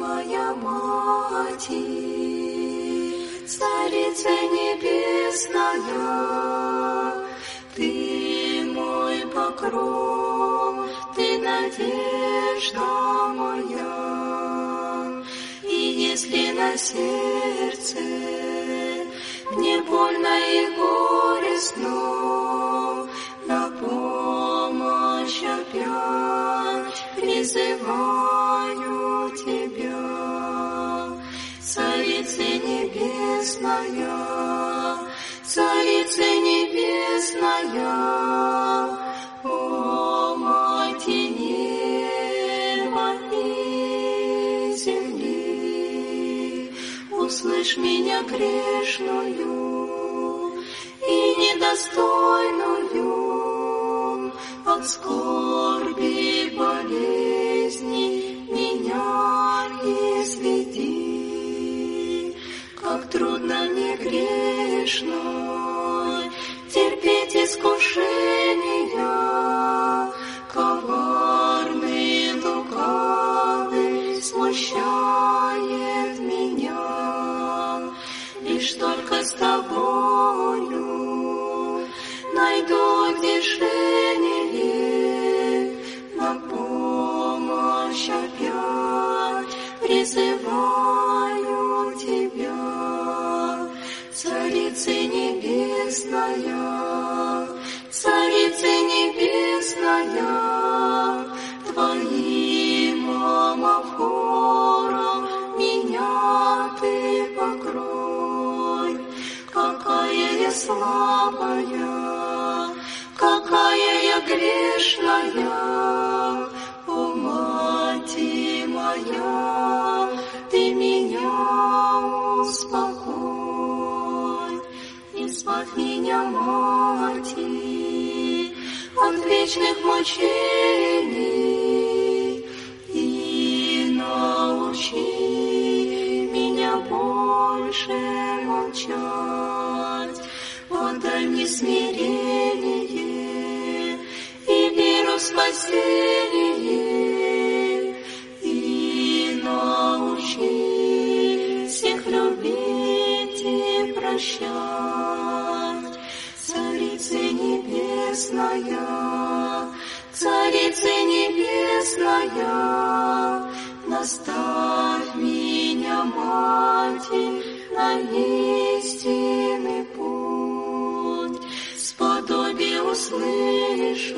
моя Мать, Царица Небесная, Ты мой покров, Ты надежда моя. И если на сердце мне больно и горестно, на помощь опять призываю Тебя. Царица Небесная, Царица Небесная, о Мать неба и земли, услышь меня грешную и недостойную, от скорби болезни меня изведи. Как трудно мне грешной терпеть искушения, коварный, лукавый смущает меня. Лишь только с Тобою найду утешение, на помощь опять призываю Тебя. Царица Небесная, Царица Небесная, Твоим омофором меня Ты покрой. Какая я слабая, какая я грешная, о Мать моя, Ты меня успокой. Избавь меня, Мать, от вечных мучений и научи меня больше молчать. Подай мне смирение и веру в спасение, и научи всех любить и прощать. Царица Небесная, Царица Небесная, наставь меня, Мать, на истинный путь, сподоби услышать.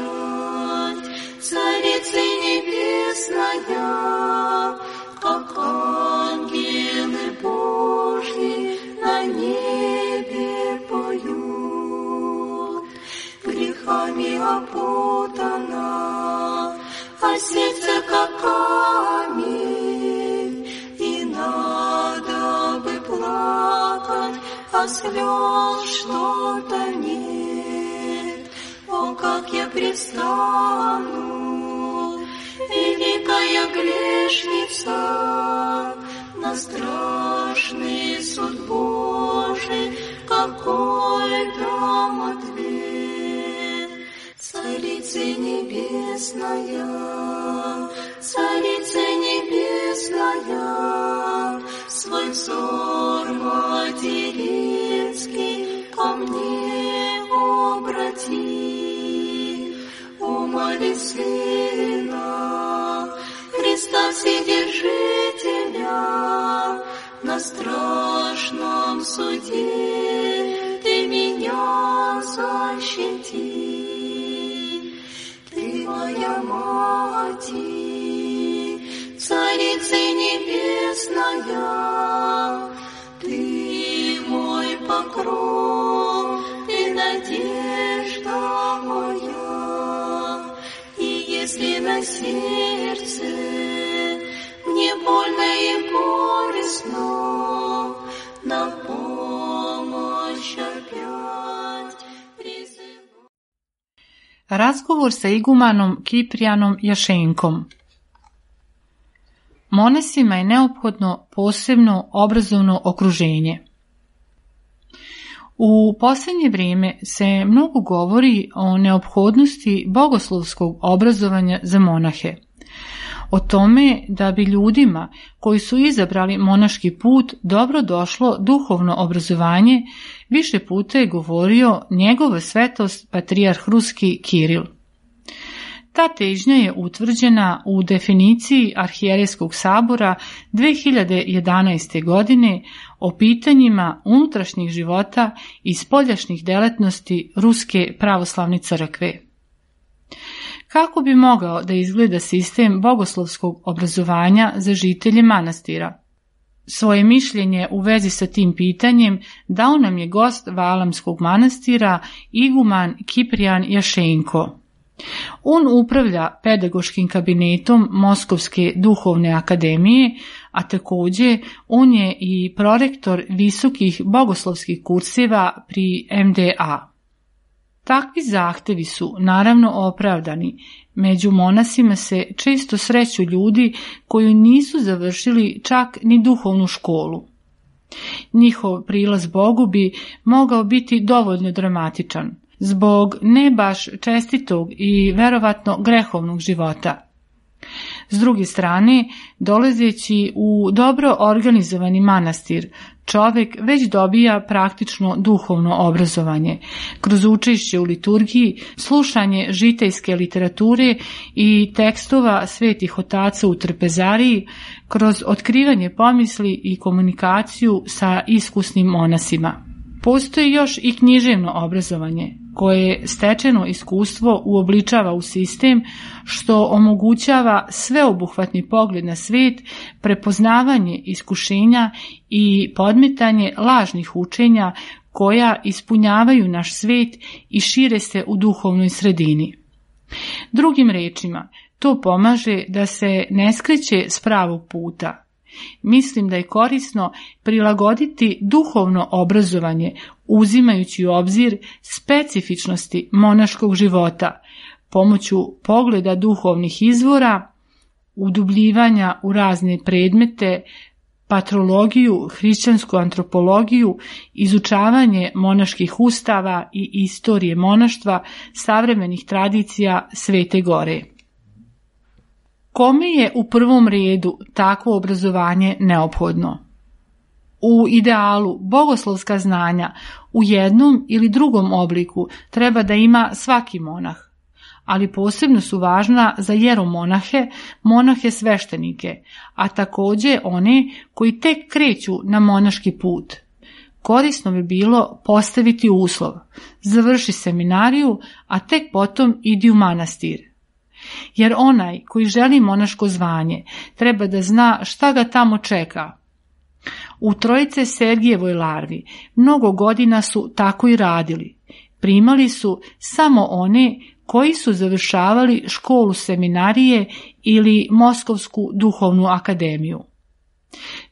Царица Небесная, как ангелы Божьи на небе поют. Грехами опутана, а сердце как камень, и надо бы плакать, а слез что-то нет. О, как я предстану, великая грешница, на страшный суд Божий, какой дам ответ. Царица Небесная, Царица Небесная, свой взор материнский ко мне обрати. Умоли Сына Христа Вседержителя, на страшном суде Ты меня защити. Ты моя Мать, Царица Небесная, Ты мой покров, Ты надежда моя. И если на сердце мне больно и горестно, на помощь опять призываю. Razgovor sa igumanom Kiprijanom Jašenkom. Monesima je neophodno posebno obrazovno okruženje. U posljednje vrijeme se mnogo govori o neophodnosti bogoslovskog obrazovanja za monahe. O tome da bi ljudima koji su izabrali monaški put dobro došlo duhovno obrazovanje, više puta je govorio njegova svetost patrijarh ruski Kiril. Ta težnja je utvrđena u definiciji Arhijerejskog sabora 2011. godine o pitanjima unutrašnjih života i spoljašnjih delatnosti Ruske pravoslavne crkve. Kako bi mogao da izgleda sistem bogoslovskog obrazovanja za žitelje manastira? Svoje mišljenje u vezi sa tim pitanjem dao nam je gost Valamskog manastira, iguman Kiprijan Jašenko. On upravlja pedagoškim kabinetom Moskovske duhovne akademije, a također on je i prorektor visokih bogoslovskih kurseva pri MDA. Takvi zahtevi su naravno opravdani. Među monasima se često sreću ljudi koji nisu završili čak ni duhovnu školu. Njihov prilaz Bogu bi mogao biti dovoljno dramatičan, zbog ne baš čestitog i verovatno grehovnog života. S druge strane, dolazeći u dobro organizovani manastir, čovjek već dobija praktično duhovno obrazovanje, kroz učešće u liturgiji, slušanje žitejske literature i tekstova svetih otaca u trpezariji, kroz otkrivanje pomisli i komunikaciju sa iskusnim monasima. Postoji još i književno obrazovanje, koje stečeno iskustvo uobličava u sistem, što omogućava sveobuhvatni pogled na svijet, prepoznavanje iskušenja i podmetanje lažnih učenja koja ispunjavaju naš svijet i šire se u duhovnoj sredini. Drugim rečima, to pomaže da se ne skreće s pravog puta. Mislim da je korisno prilagoditi duhovno obrazovanje uzimajući u obzir specifičnosti monaškog života, pomoću pogleda duhovnih izvora, udubljivanja u razne predmete, patrologiju, hrišćansku antropologiju, izučavanje monaških ustava i istorije monaštva, savremenih tradicija Svete Gore. Kome je u prvom redu takvo obrazovanje neophodno? U idealu bogoslovska znanja u jednom ili drugom obliku treba da ima svaki monah, ali posebno su važna za jeromonahe, monahe sveštenike, a također one koji tek kreću na monaški put. Korisno bi bilo postaviti uslov: završi seminariju, a tek potom idi u manastir. Jer onaj koji želi monaško zvanje treba da zna šta ga tamo čeka. U Trojice Sergijevoj larvi mnogo godina su tako i radili. Primali su samo one koji su završavali školu seminarije ili Moskovsku duhovnu akademiju.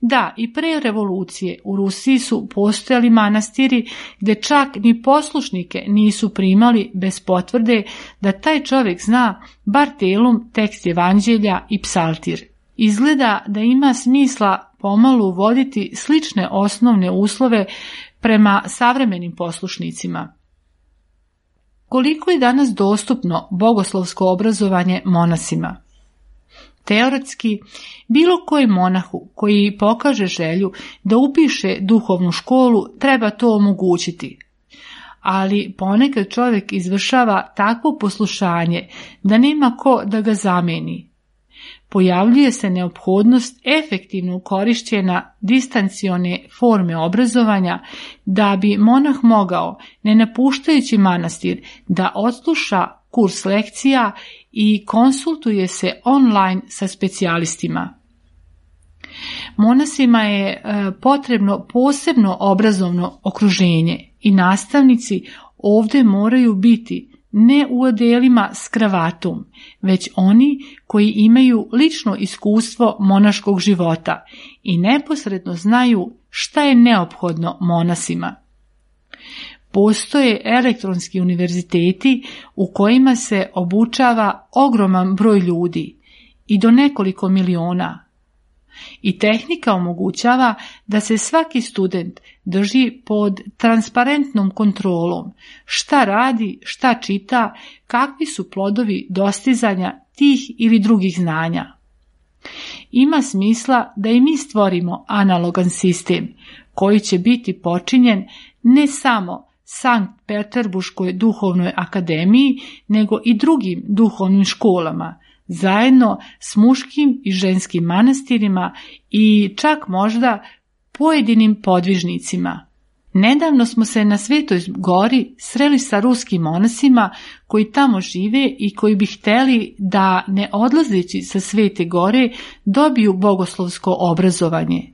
Da, i pre revolucije u Rusiji su postojali manastiri gdje čak ni poslušnike nisu primali bez potvrde da taj čovjek zna bar telom tekst evanđelja i psaltir. Izgleda da ima smisla pomalo uvoditi slične osnovne uslove prema savremenim poslušnicima. Koliko je danas dostupno bogoslovsko obrazovanje monasima? Teoretski, bilo koji monahu koji pokaže želju da upiše duhovnu školu treba to omogućiti. Ali ponekad čovjek izvršava takvo poslušanje da nema ko da ga zameni. Pojavljuje se neophodnost efektivno korišćenja distancione forme obrazovanja da bi monah mogao, ne napuštajući manastir, da odsluša kurs lekcija i konsultuje se online sa specijalistima. Monasima je potrebno posebno obrazovno okruženje i nastavnici ovdje moraju biti ne u odelima s kravatom, već oni koji imaju lično iskustvo monaškog života i neposredno znaju šta je neophodno monasima. Postoje elektronski univerziteti u kojima se obučava ogroman broj ljudi i do nekoliko miliona. I tehnika omogućava da se svaki student drži pod transparentnom kontrolom, šta radi, šta čita, kakvi su plodovi dostizanja tih ili drugih znanja. Ima smisla da i mi stvorimo analogan sistem koji će biti počinjen ne samo Sankt Peterburškoj duhovnoj akademiji, nego i drugim duhovnim školama, zajedno s muškim i ženskim manastirima i čak možda pojedinim podvižnicima. Nedavno smo se na Svetoj gori sreli sa ruskim monasima koji tamo žive i koji bi hteli da, ne odlazeći sa Svete gore, dobiju bogoslovsko obrazovanje.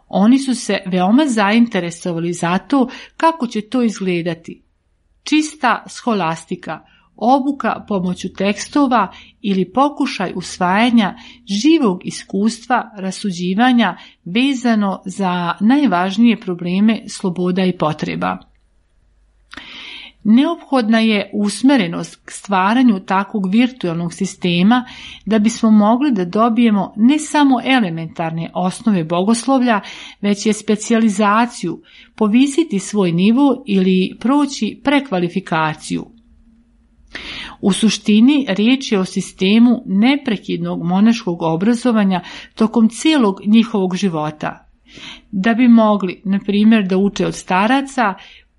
Oni su se veoma zainteresovali za to kako će to izgledati. Čista scholastika, obuka pomoću tekstova ili pokušaj usvajanja živog iskustva rasuđivanja vezano za najvažnije probleme sloboda i potreba. Neophodna je usmerenost k stvaranju takvog virtualnog sistema da bismo mogli da dobijemo ne samo elementarne osnove bogoslovlja, već je specijalizaciju, povisiti svoj nivo ili proći prekvalifikaciju. U suštini riječ je o sistemu neprekidnog monaškog obrazovanja tokom cijelog njihovog života. Da bi mogli, na primjer, da uče od staraca,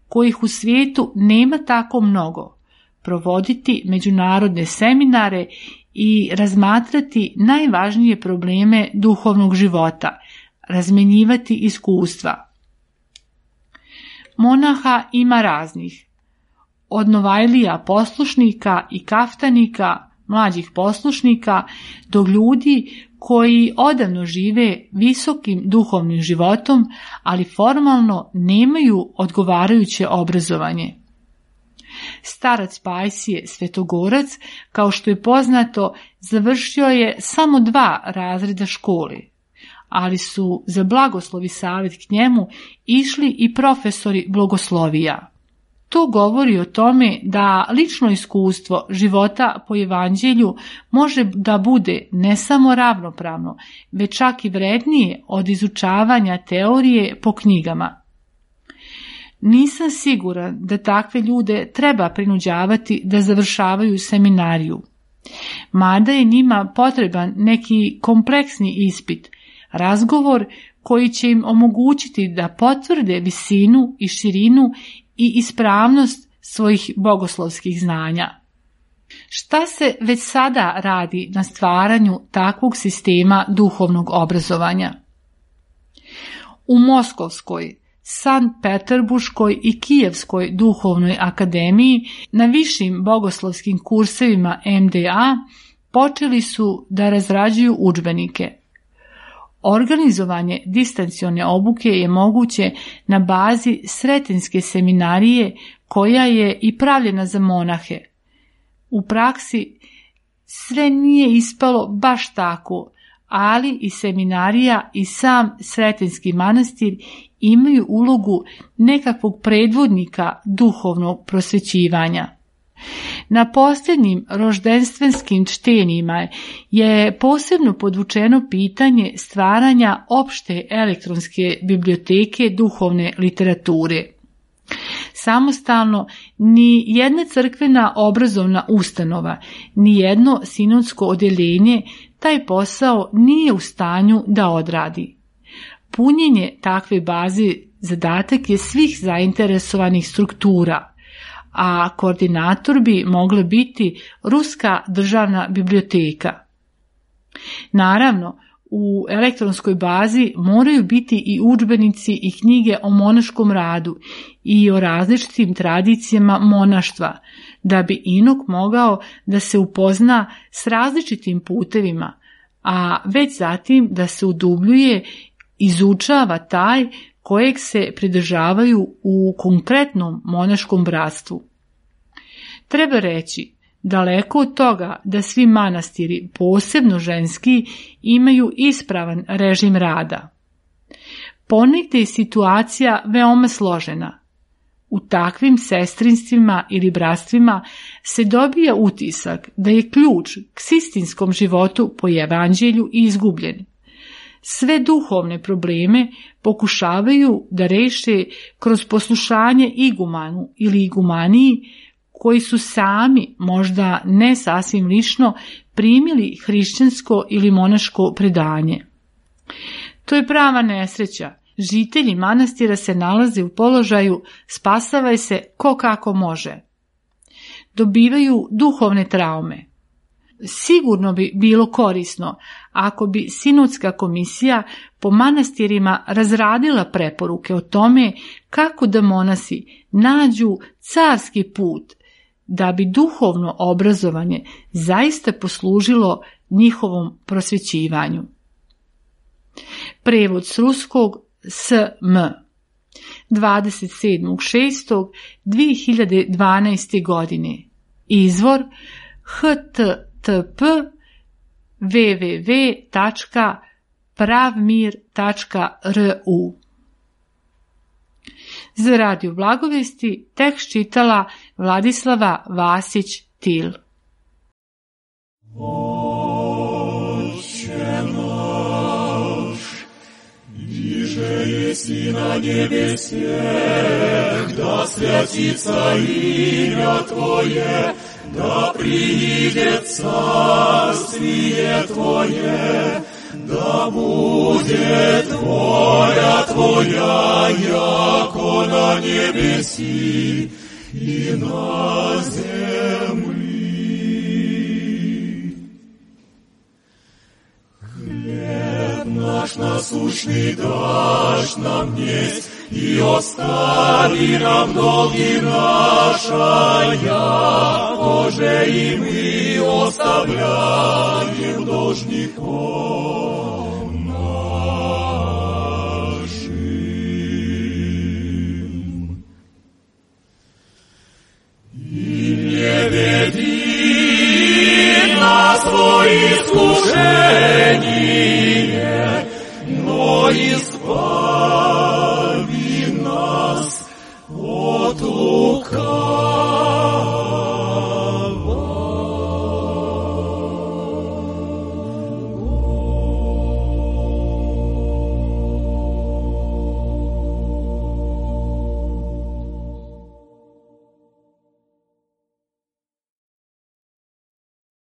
kojih u svijetu nema tako mnogo, provoditi međunarodne seminare i razmatrati najvažnije probleme duhovnog života, razmenjivati iskustva. Monaha ima raznih. Od novajlija poslušnika i kaftanika, mlađih poslušnika, do ljudi koji odavno žive visokim duhovnim životom, ali formalno nemaju odgovarajuće obrazovanje. Starac Pajsije Svetogorac, kao što je poznato, završio je samo 2 razreda škole, ali su za blagoslov i savjet k njemu išli i profesori blagoslovija. To govori o tome da lično iskustvo života po evanđelju može da bude ne samo ravnopravno, već čak i vrednije od izučavanja teorije po knjigama. Nisam siguran da takve ljude treba prinuđavati da završavaju seminariju, mada je njima potreban neki kompleksni ispit, razgovor koji će im omogućiti da potvrde visinu i širinu i ispravnost svojih bogoslovskih znanja. Šta se već sada radi na stvaranju takvog sistema duhovnog obrazovanja? U Moskovskoj, Sankt Peterburškoj i Kijevskoj duhovnoj akademiji na višim bogoslovskim kursevima MDA počeli su da razrađuju udžbenike. Organizovanje distancione obuke je moguće na bazi Sretenske seminarije koja je i pravljena za monahe. U praksi sve nije ispalo baš tako, ali i seminarija i sam Sretenski manastir imaju ulogu nekakvog predvodnika duhovnog prosvećivanja. Na posljednjim roždenstevenskim čtenjima je posebno podvučeno pitanje stvaranja opšte elektronske biblioteke duhovne literature. Samostalno, ni jedna crkvena obrazovna ustanova, ni jedno sinodsko odjeljenje taj posao nije u stanju da odradi. Punjenje takve baze zadatak je svih zainteresovanih struktura, a koordinator bi mogla biti Ruska državna biblioteka. Naravno, u elektronskoj bazi moraju biti i udžbenici i knjige o monaškom radu i o različitim tradicijama monaštva, da bi inok mogao da se upozna s različitim putevima, a već zatim da se udubljuje, izučava taj kojeg se pridržavaju u konkretnom monaškom bratstvu. Treba reći, daleko od toga da svi manastiri, posebno ženski, imaju ispravan režim rada. Ponegde je situacija veoma složena. U takvim sestrinstvima ili bratstvima se dobija utisak da je ključ k istinskom životu po evanđelju izgubljen. Sve duhovne probleme pokušavaju da reše kroz poslušanje igumanu ili igumaniji, koji su sami, možda ne sasvim lično, primili hrišćansko ili monaško predanje. To je prava nesreća. Žitelji manastira se nalaze u položaju spasavaj se ko kako može. Dobivaju duhovne traume. Sigurno bi bilo korisno ako bi sinodska komisija po manastirima razradila preporuke o tome kako da monasi nađu carski put da bi duhovno obrazovanje zaista poslužilo njihovom prosvećivanju. Prevod s ruskog S.M. 27.6.2012. godine. Izvor http www.pravmir.ru. Za Radio Blagovesti tekst čitala Vladislava Vasić-Til. Еси на небесе, да святится имя Твое, да приидет царствие Твое, да будет воля Твоя, яко на небеси и на земли. Наш насущный дашь нам днесь, и остави нам долги наши, тоже и мы оставляем должников нашим. И не веди нас во искушение, но избавь